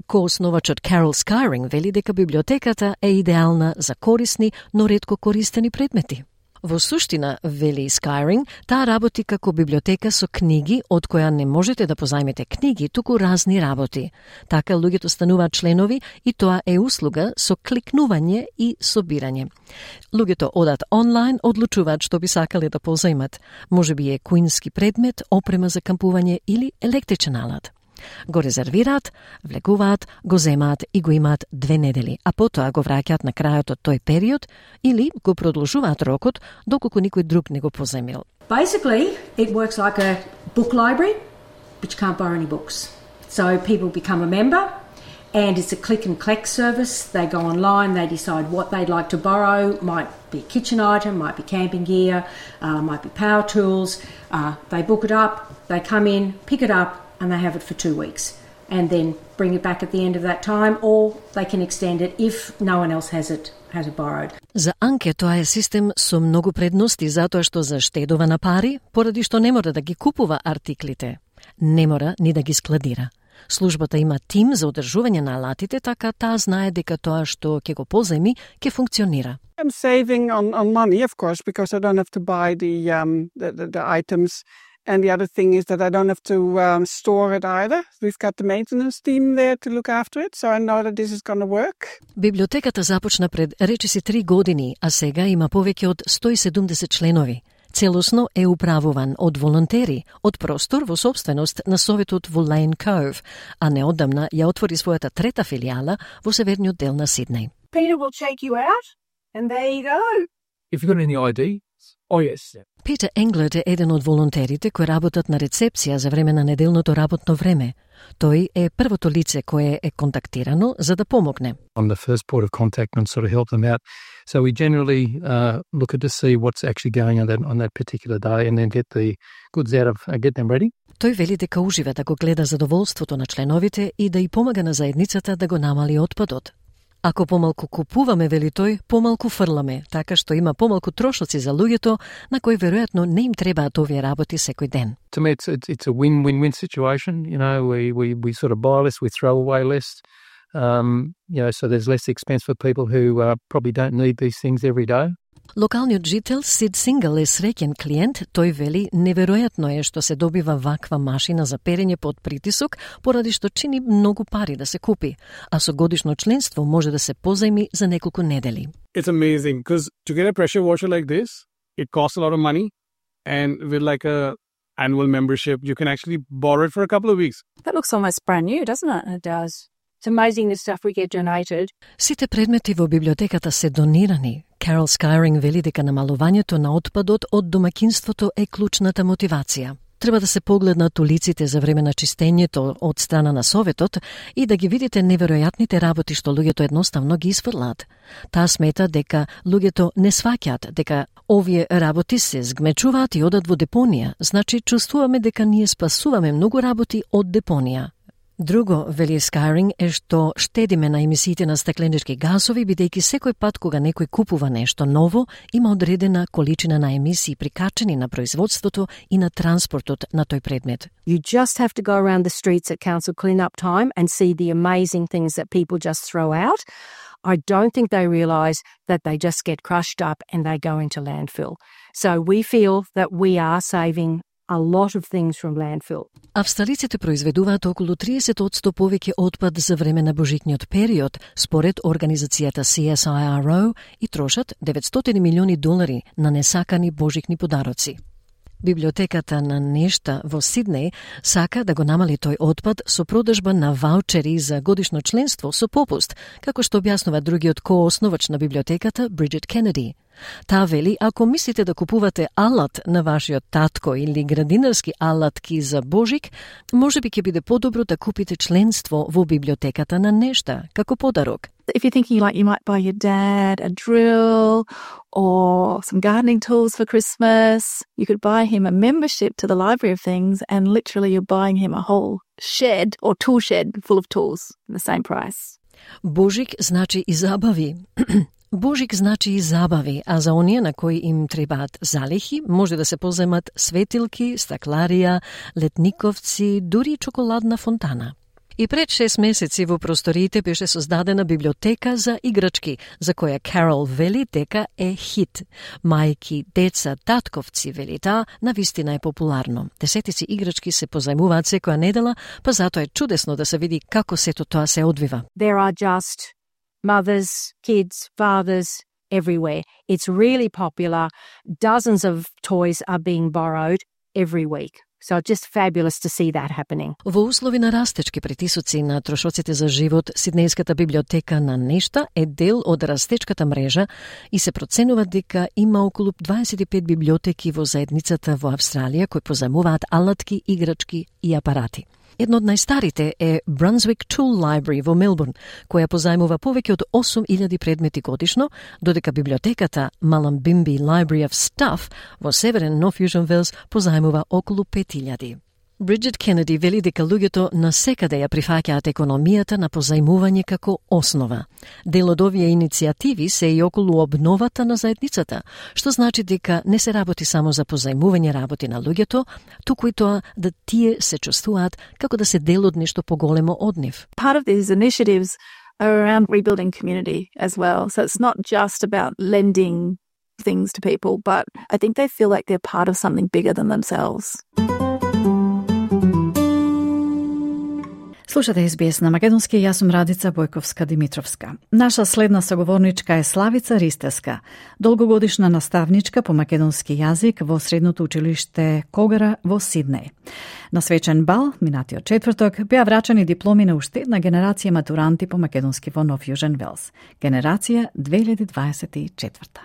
Коосновачот Карол Скайринг вели дека библиотеката е идеална за корисни, но ретко користени предмети. Во суштина, вели Скайринг, таа работи како библиотека со книги, од која не можете да позајмете книги, туку разни работи. Така луѓето стануваат членови и тоа е услуга со кликнување и собирање. Луѓето одат онлайн, одлучуваат што би сакале да позајмат. Може би е куински предмет, опрема за кампување или електричен алат. Го резервираат, влегуваат, го земаат и го имаат две недели, а потоа го враќаат на крајот од тој период или го продолжуваат рокот доколку никој друг не го позајмил. Basically, it works like a book library, but you can't borrow any books. So people become a member, and it's a click and collect service. They go online, they decide what they'd like to borrow. Might be a kitchen item, might be camping gear, uh, might be power tools. Uh, they book it up, they come in, pick it up, and they have it for two weeks and then bring it back at the end of that time, or they can extend it if no one else has it has it borrowed. За Анке тоа е систем со многу предности затоа што заштедува на пари, поради што не мора да ги купува артиклите. Не мора ни да ги складира. Службата има тим за одржување на алатите, така таа знае дека тоа што ќе го позајми ќе функционира. I'm saving on on money, of course, because I don't have to buy the um the, the, the items. And the other thing is that I don't have to um, store it either. We've got the maintenance team there to look after it, so I know that this is going to work. Библиотеката започна пред речиси три години, а сега има повеќе од сто и седумдесет членови. Целосно е управуван од волонтери, од простор во собственост на советот во Lane Cove, а неодамна ја отвори својата трета филијала во северниот дел на Сиднеј. Peter will check you out, and there you go. If you've got any I D, oh yes. Питер Енглет е еден од волонтерите кои работат на рецепција за време на неделното работно време. Тој е првото лице кое е контактирано за да помогне. I'm the first port of contact and sort of help them out. So we generally uh, look at to see what's actually going on that, on that particular day and then get the goods out of, uh, get them ready. Тој вели дека ужива да го гледа задоволството на членовите и да и помага на заедницата да го намали отпадот. Ако помалку купуваме, вели тој, помалку фрламе, така што има помалку трошоци за луѓето на кои веројатно не им требаат овие работи секој ден. To me, it's, it's, it's a win-win-win situation. You know, we, we, we sort of buy less, we throw away less. Um, you know, so there's less expense for people who uh, probably don't need these things every day. Локалниот жител Сид Сингал е среќен клиент, тој вели неверојатно е што се добива ваква машина за перење под притисок, поради што чини многу пари да се купи, а со годишно членство може да се позајми за неколку недели. It's amazing because to get a pressure washer like this, it costs a lot of money, and with like a annual membership, you can actually borrow it for a couple of weeks. That looks almost brand new, doesn't it? It does. It's amazing the stuff we get donated. Сите предмети во библиотеката се донирани. Карол Скайринг вели дека намалувањето на отпадот од домаќинството е клучната мотивација. Треба да се погледнат улиците за време на чистењето од страна на Советот и да ги видите неверојатните работи што луѓето едноставно ги изфрлаат. Таа смета дека луѓето не сваќаат дека овие работи се згмечуваат и одат во депонија, значи чувствуваме дека ние спасуваме многу работи од депонија. Друго, вели Скайринг, е што штедиме на емисиите на стакленички газови, бидејќи секој пат кога некој купува нешто ново, има одредена количина на емисии прикачени на производството и на транспортот на тој предмет. You just have to go around the streets at council clean-up time and see the amazing things that people just throw out. I don't think they realise that they just get crushed up and they go into landfill. So we feel that we are saving a lot of things from landfill. Австралиците произведуваат околу триесет одсто повеќе отпад за време на божитниот период, според организацијата C S I R O, и трошат деветстотини милиони долари на несакани божитни подароци. Библиотеката на Нешта во Сиднеј сака да го намали тој отпад со продажба на ваучери за годишно членство со попуст, како што објаснува другиот коосновач на библиотеката Бриджит Кенеди. Таа вели, ако мислите да купувате алат на вашиот татко или градинарски алатки за Божик, може би ќе биде подобро да купите членство во библиотеката на Нешта, како подарок. If you're thinking like you might buy your dad a drill or some gardening tools for Christmas, you could buy him a membership to the Library of Things and literally you're buying him a whole shed or tool shed full of tools at the same price. Божик значи и забави. Божик значи и забави, а за оние на кои им требаат залихи, може да се поземат светилки, стакларија, летниковци, дури чоколадна фонтана. И пред шест месеци во просториите беше создадена библиотека за играчки, за која Карол вели дека е хит. Мајки, деца, татковци, вели таа, навистина е популарно. Десетици играчки се позајмуваат секоја недела, па затоа е чудесно да се види како сето тоа се одвива. There are just mothers, kids, fathers, everywhere. It's really popular. Dozens of toys are being borrowed every week. So it's just fabulous to see that happening. Во услови на растечки притисоци на трошоците за живот, Сиднејската библиотека на Нешта е дел од растечката мрежа и се проценува дека има околу дваесет и пет библиотеки во заедницата во Австралија кои позајмуваат алатки, играчки и апарати. Едно од најстарите е Brunswick Tool Library во Мелбурн, која позајмува повеќе од осум илјади предмети годишно, додека библиотеката Mullumbimby Library of Stuff во северен Нов Јужен Велс позајмува околу пет илјади. Бриджит Кенеди вели дека луѓето насекаде ја прифаќаат економијата на позајмување како основа. Дел од овие иницијативи се и околу обновата на заедницата, што значи дека не се работи само за позајмување работи на луѓето, туку и тоа да тие се чувствуваат како да се дел од нешто поголемо од нив. Part of these initiatives are around rebuilding community as well. So it's not just about lending things to people, but I think they feel like they're part of something bigger than themselves. Слушате Ес Би Ес на македонски, јас сум Радица Бојковска-Димитровска. Наша следна соговорничка е Славица Ристевска, долгогодишна наставничка по македонски јазик во Средното училиште Когара во Сиднеј. На свечен бал, минатиот четврток, беа врачани дипломи на уште една генерација матуранти по македонски во Нов Јужен Велс. Генерација две илјади дваесет и четврта.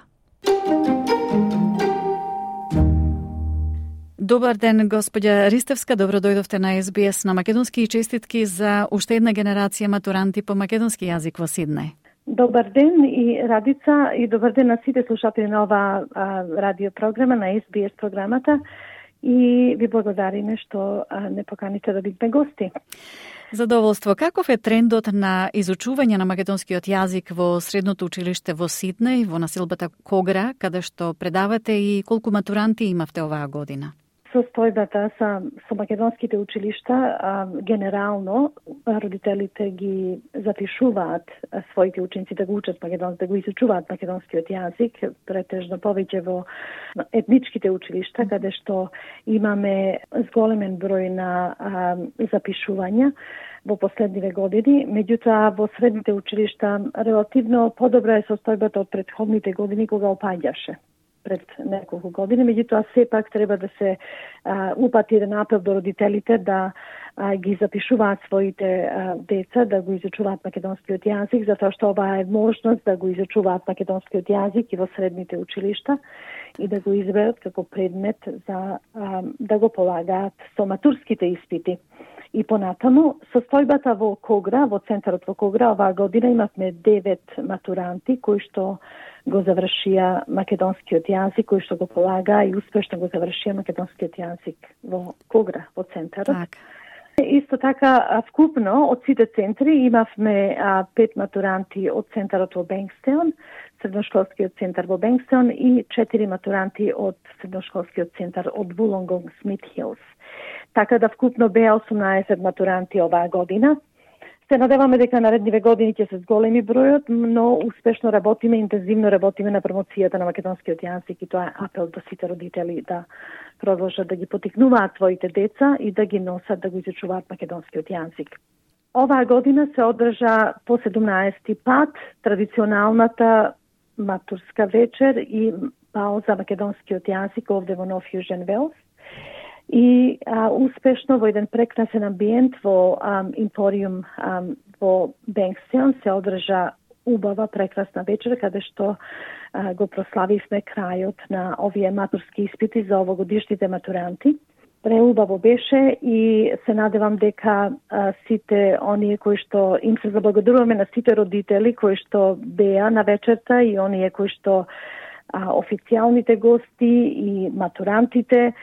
Добар ден, господја Ристевска, добро дојдовте на Ес Би Ес на македонски и честитки за уште една генерација матуранти по македонски јазик во Сиднеј. Добар ден и Радица и добар ден на сите слушатели на ова а, радиопрограма, на Ес Би Ес програмата, и ви благодариме што а, не поканите да бидеме гости. Задоволство. Каков е трендот на изучување на македонскиот јазик во Средното училиште во Сиднеј, во населбата Когара, каде што предавате, и колку матуранти имавте оваа година? Состојбата со, со македонските училишта, а, генерално родителите ги запишуваат а, своите ученици да го учат македонски, да го изучуваат македонскиот јазик, претежно повеќе во етничките училишта, каде што имаме зголемен број на а, запишувања во последниве години. Меѓутоа, во средните училишта релативно подобра е состојбата од претходните години кога опаѓаше пред неколку години, меѓутоа сепак треба да се а, упати еден апел до родителите да а, ги запишуваат своите а, деца, да го изучуваат македонскиот јазик, затоа што ова е можност да го изучуваат македонскиот јазик и во средните училишта и да го изберат како предмет за а, да го полагаат со матурските испити. И понатаму, состојбата во Когра, во центарот во Когра, оваа година имавме девет матуранти кои што го завршија македонскиот јазик, кои што го полага и успешно го завршија македонскиот јазик во Когра, во центарот. Так. Исто така, вкупно од сите центри имавме а, пет матуранти од центарот во Бенкстеон, средношколскиот центар во Бенкстеон, и четири матуранти од средношколскиот центар од Вулонгонг Смит Хилс. Така да вкупно беа осумнаесет матуранти оваа година. Се надеваме дека наредниве години ќе се зголеми бројот, но успешно работиме, интензивно работиме на промоцијата на македонскиот јазик, и тоа е апел до сите родители да продолжат да ги потикнуваат своите деца и да ги носат да го изучуваат македонскиот јазик. Оваа година се одржа по седумнаесети пат традиционалната матурска вечер и бал за македонскиот јазик овде во Нов Јужен Велс. И а, успешно во еден прекрасен амбиент во а, Импориум а, во Бенкстеон се одржа убава, прекрасна вечер, каде што а, го прославивме крајот на овие матурски испити за овогодишните матуранти. Преубаво беше и се надевам дека а, сите оние кои што им се заблагодаруваме на сите родители кои што беа на вечерта и оние кои што а, официјалните гости и матурантите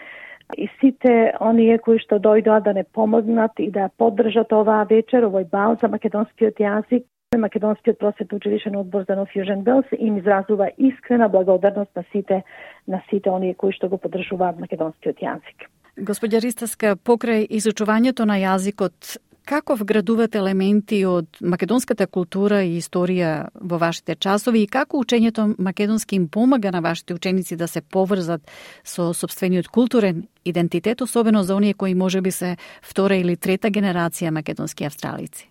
и сите оние кои што дојдоа да не помогнат и да поддржат оваа вечер, овој бал за македонскиот јазик. Македонскиот просветно училишен одбор за Нов Јужен Велс им изразува искрена благодарност на сите на сите оние кои што го поддржуваат македонскиот јазик. Господја Ристевска, покрај изучувањето на јазикот, како вградувате елементи од македонската култура и историја во вашите часови и како учењето македонски им помага на вашите ученици да се поврзат со сопствениот културен идентитет, особено за оние кои можеби се втора или трета генерација македонски австралици?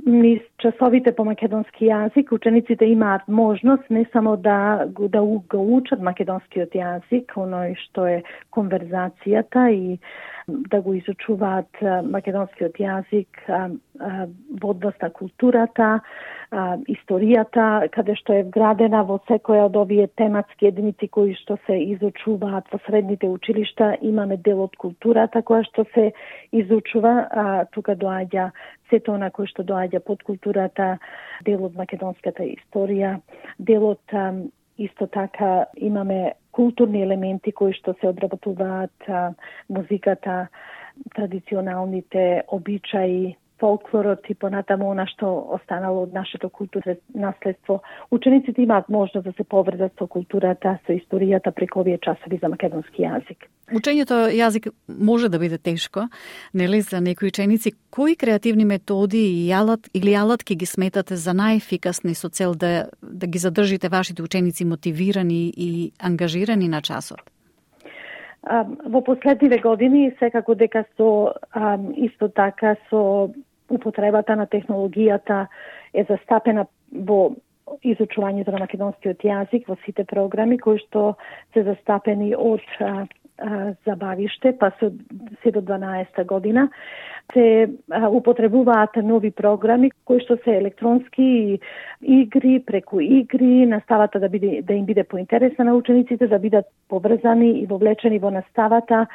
Низ часовите по македонски јазик учениците имаат можност не само да го да го учат македонскиот јазик, оној што е конверзацијата, и да го изучуваат македонскиот јазик во однос на културата, историјата, каде што е вградена во секоја од овие тематски единици кои што се изучуваат во средните училишта. Имаме дел од културата која што се изучува, а тука доаѓа сето она кој што доаѓа под културата, дел од македонската историја, дел од исто така имаме културни елементи кои што се одработуваат, музиката, традиционалните обичаи, фолклорот и понатаму она што останало од нашето културно наследство. Учениците имаат можност да се поврзат со културата, со историјата преку овие часови за македонски јазик. Учењето јазик може да биде тешко, нели, за некои ученици. Кои креативни методи и алат или алатки ги сметате за најефикасни со цел да да ги задржите вашите ученици мотивирани и ангажирани на часот? Во последниве години секако дека со исто така со употребата на технологијата е застапена во изучувањето на македонскиот јазик во сите програми кои што се застапени од а, а, забавиште па се, се до дванаесета година. Се а, употребуваат нови програми кои што се електронски игри, преку игри, наставата да биде да им биде поинтересна на учениците, да бидат поврзани и вовлечени во наставата.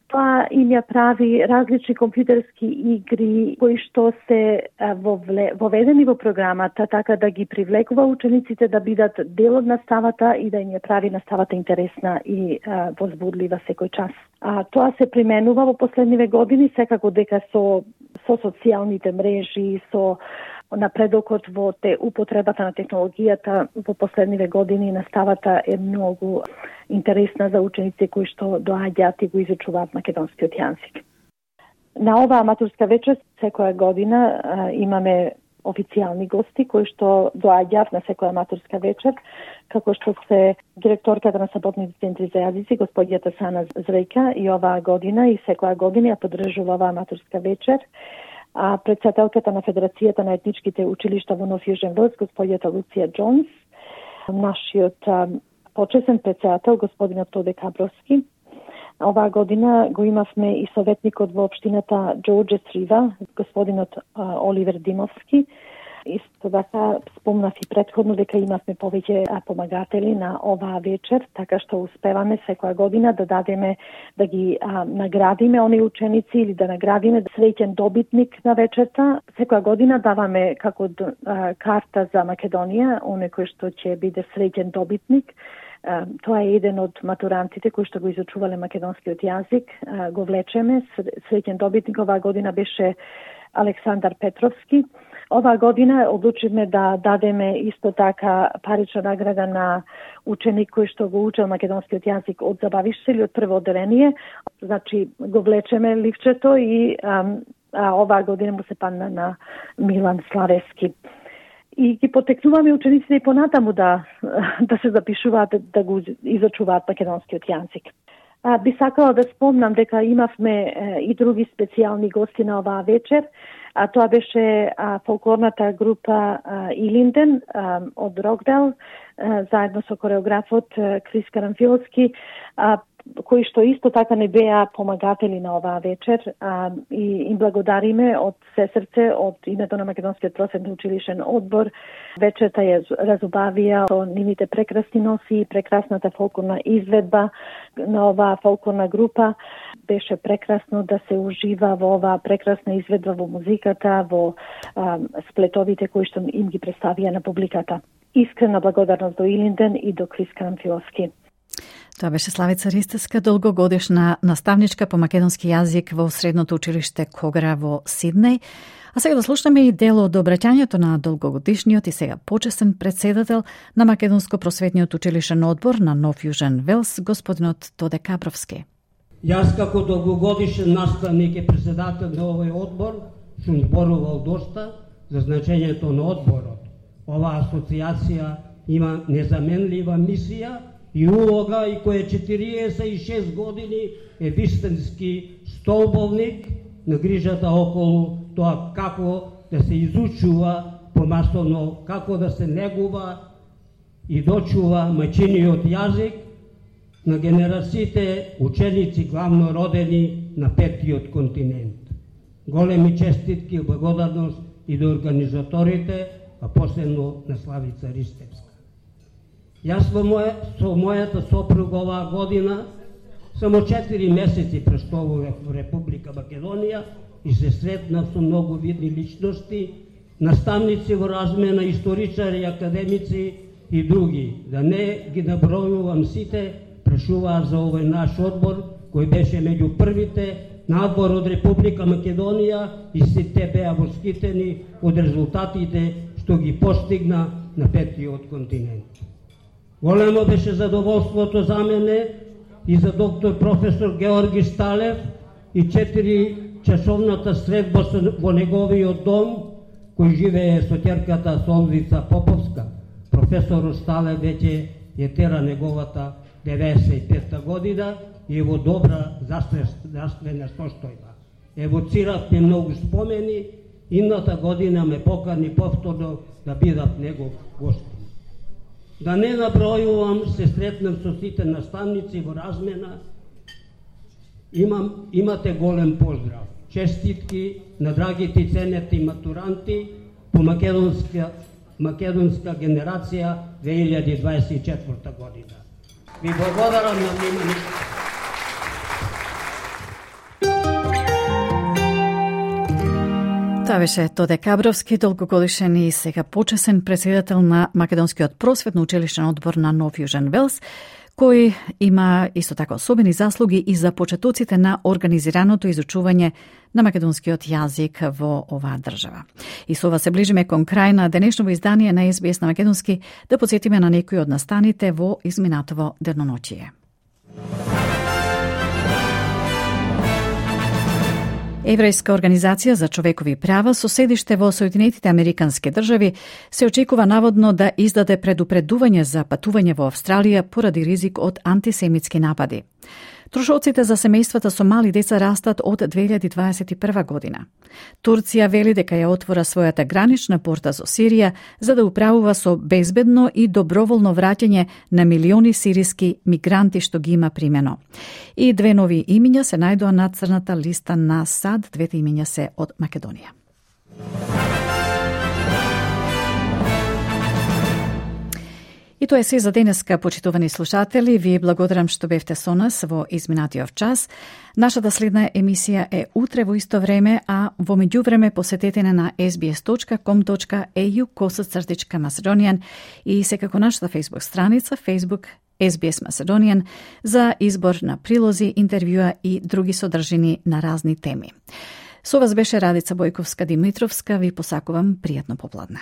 Тоа им ја прави различни компјутерски игри кои што се вовле, воведени во програмата, така да ги привлекува учениците да бидат дел од наставата и да им ја прави наставата интересна и а, возбудлива секој час. А тоа се применува во последниве години, секако дека со со социјалните мрежи, со напредокот во те употребата на технологијата во последниве години наставата е многу интересна за ученици кои што доаѓаат и го изучуваат македонскиот јазик. На оваа матурска вечер секоја година а, имаме официјални гости кои што доаѓаат на секоја матурска вечер, како што се директорката на саботните центри за јазици, господјата Сана Зрејка, и оваа година и секоја година ја поддржува оваа матурска вечер. А председателката на Федерацијата на етничките училишта во Нов Јужен Велс, господјата Луција Джонс, нашиот а, почесен председател, господинот Тоде Кабровски. Оваа година го имавме и советникот во општината Џорџе Трива, господинот а, Оливер Димовски. Исто така спомнав и претходно дека имавме повеќе помагатели на оваа вечер, така што успеваме секоја година да дадеме, да ги а, наградиме оние ученици или да наградиме среќен добитник на вечерта. Секоја година даваме како а, карта за Македонија, оној кој што ќе биде среќен добитник. А, тоа е еден од матурантите кои што го изучувале македонскиот јазик. А, го влечеме, среќен добитник оваа година беше Александар Петровски. Оваа година одлучивме да дадеме исто така парична награда на ученик кој што го учел македонскиот јазик од забавиште или од прво одделение. Значи го влечеме ливчето и а, а, оваа година му се падна на Милан Славески. И ги потекнуваме учениците и понатаму да, да се запишуваат, да го изучуваат македонскиот јазик. А, би сакала да спомнам дека имавме е, и други специјални гости на оваа вечер. А тоа беше а, фолклорната група а, Илинден а, од Рокдел, а, заедно со кореографот а, Крис Карамфилски, а, кои што исто така не беа помагатели на оваа вечер, а, и им благодариме од се срце, од името на Македонскиот просветно училишен одбор. Вечерта ја разубавија со нивните прекрасни носи, прекрасната фолклорна изведба на оваа фолклорна група. Беше прекрасно да се ужива во оваа прекрасна изведба во музиката, во а, сплетовите кои што им ги представија на публиката. Искрена благодарност до Илинден и до Крис Карамфилски. Тоа беше Славица Ристевска, долгогодишна наставничка по македонски јазик во Средното училиште Когра во Сиднеј. А сега да слушнеме и дел од обраќањето на долгогодишниот и сега почесен председател на Македонско просветниот училишен одбор на Нов Јужен Велс, господинот Тоде Кабровски. Јас како долгогодишен наставник и председател на овој одбор сум зборувал доста за значењето на одборот. Оваа асоциација има незаменлива мисија и улога и која четириесет и шест години е вистински столбовник на грижата околу тоа како да се изучува помасовно, како да се негува и дочува мајчиниот јазик на генерациите ученици главно родени на петтиот континент. Големи честитки и благодарност и до организаторите, а посебно на Славица Ристевска. Јас во моја, со мојата сопруга оваа година само четири месеци прештовував во Република Македонија и се сретнав со многу видни личности, наставници во размена, историчари, академици и други. Да не ги набројувам сите, прешуваат за овој наш одбор, кој беше меѓу првите на одбор од Република Македонија и сите беа восхитени од резултатите што ги постигна на петтиот континент. Големо беше задоволството за мене и за доктор професор Георги Сталев и четири часовната средба во неговиот дом, кој живее со ќерката Солвица Поповска. Професор Сталев веќе е тера неговата деветдесет и пета година и е во добра здравствена состојба. Евоциравме многу спомени Идната година ме покани повторно да бидат негов гостин. Да не набројувам, се сретнам со сите наставници во размена. Имам, имате голем поздрав. Честитки на драгите и ценети матуранти по македонска, македонска генерација две илјади дваесет и четврта година. Ви благодарам на вниманието. Тоа беше Тоде Кабровски, долгогодишен и сега почесен председател на Македонскиот просветно училишен одбор на Нов Јужен Велс, кој има исто така особени заслуги и за почетоците на организираното изучување на македонскиот јазик во оваа држава. И со ова се ближиме кон крај на денешното издание на Ес Би Ес на македонски, да потсетиме на некои од настаните во изминатово деноноќие. Еврејска организација за човекови права со седиште во Соединетите Американски држави се очекува наводно да издаде предупредување за патување во Австралија поради ризик од антисемитски напади. Трошоците за семејствата со мали деца растат од две илјади дваесет и прва година. Турција вели дека ја отвора својата гранична порта со Сирија за да управува со безбедно и доброволно враќање на милиони сириски мигранти што ги има примено. И две нови имиња се најдоа на црната листа на САД, двете имиња се од Македонија. И тоа е се за денеска, почитувани слушатели. Ви благодарам што бевте со нас во изминатиот час. Нашата следна емисија е утре во исто време, а во меѓувреме посетете на ес би ес точка ком точка ей ю косацртичка Macedonian и секако нашата Facebook страница Facebook Ес Би Ес Macedonian за избор на прилози, интервјуа и други содржини на разни теми. Со вас беше Радица Бојковска-Димитровска. Ви посакувам пријатно попладне.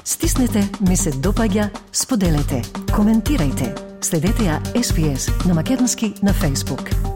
Стиснете, ми се допаѓа, споделете, коментирајте. Следете ја Ес Би Ес на македонски на Facebook.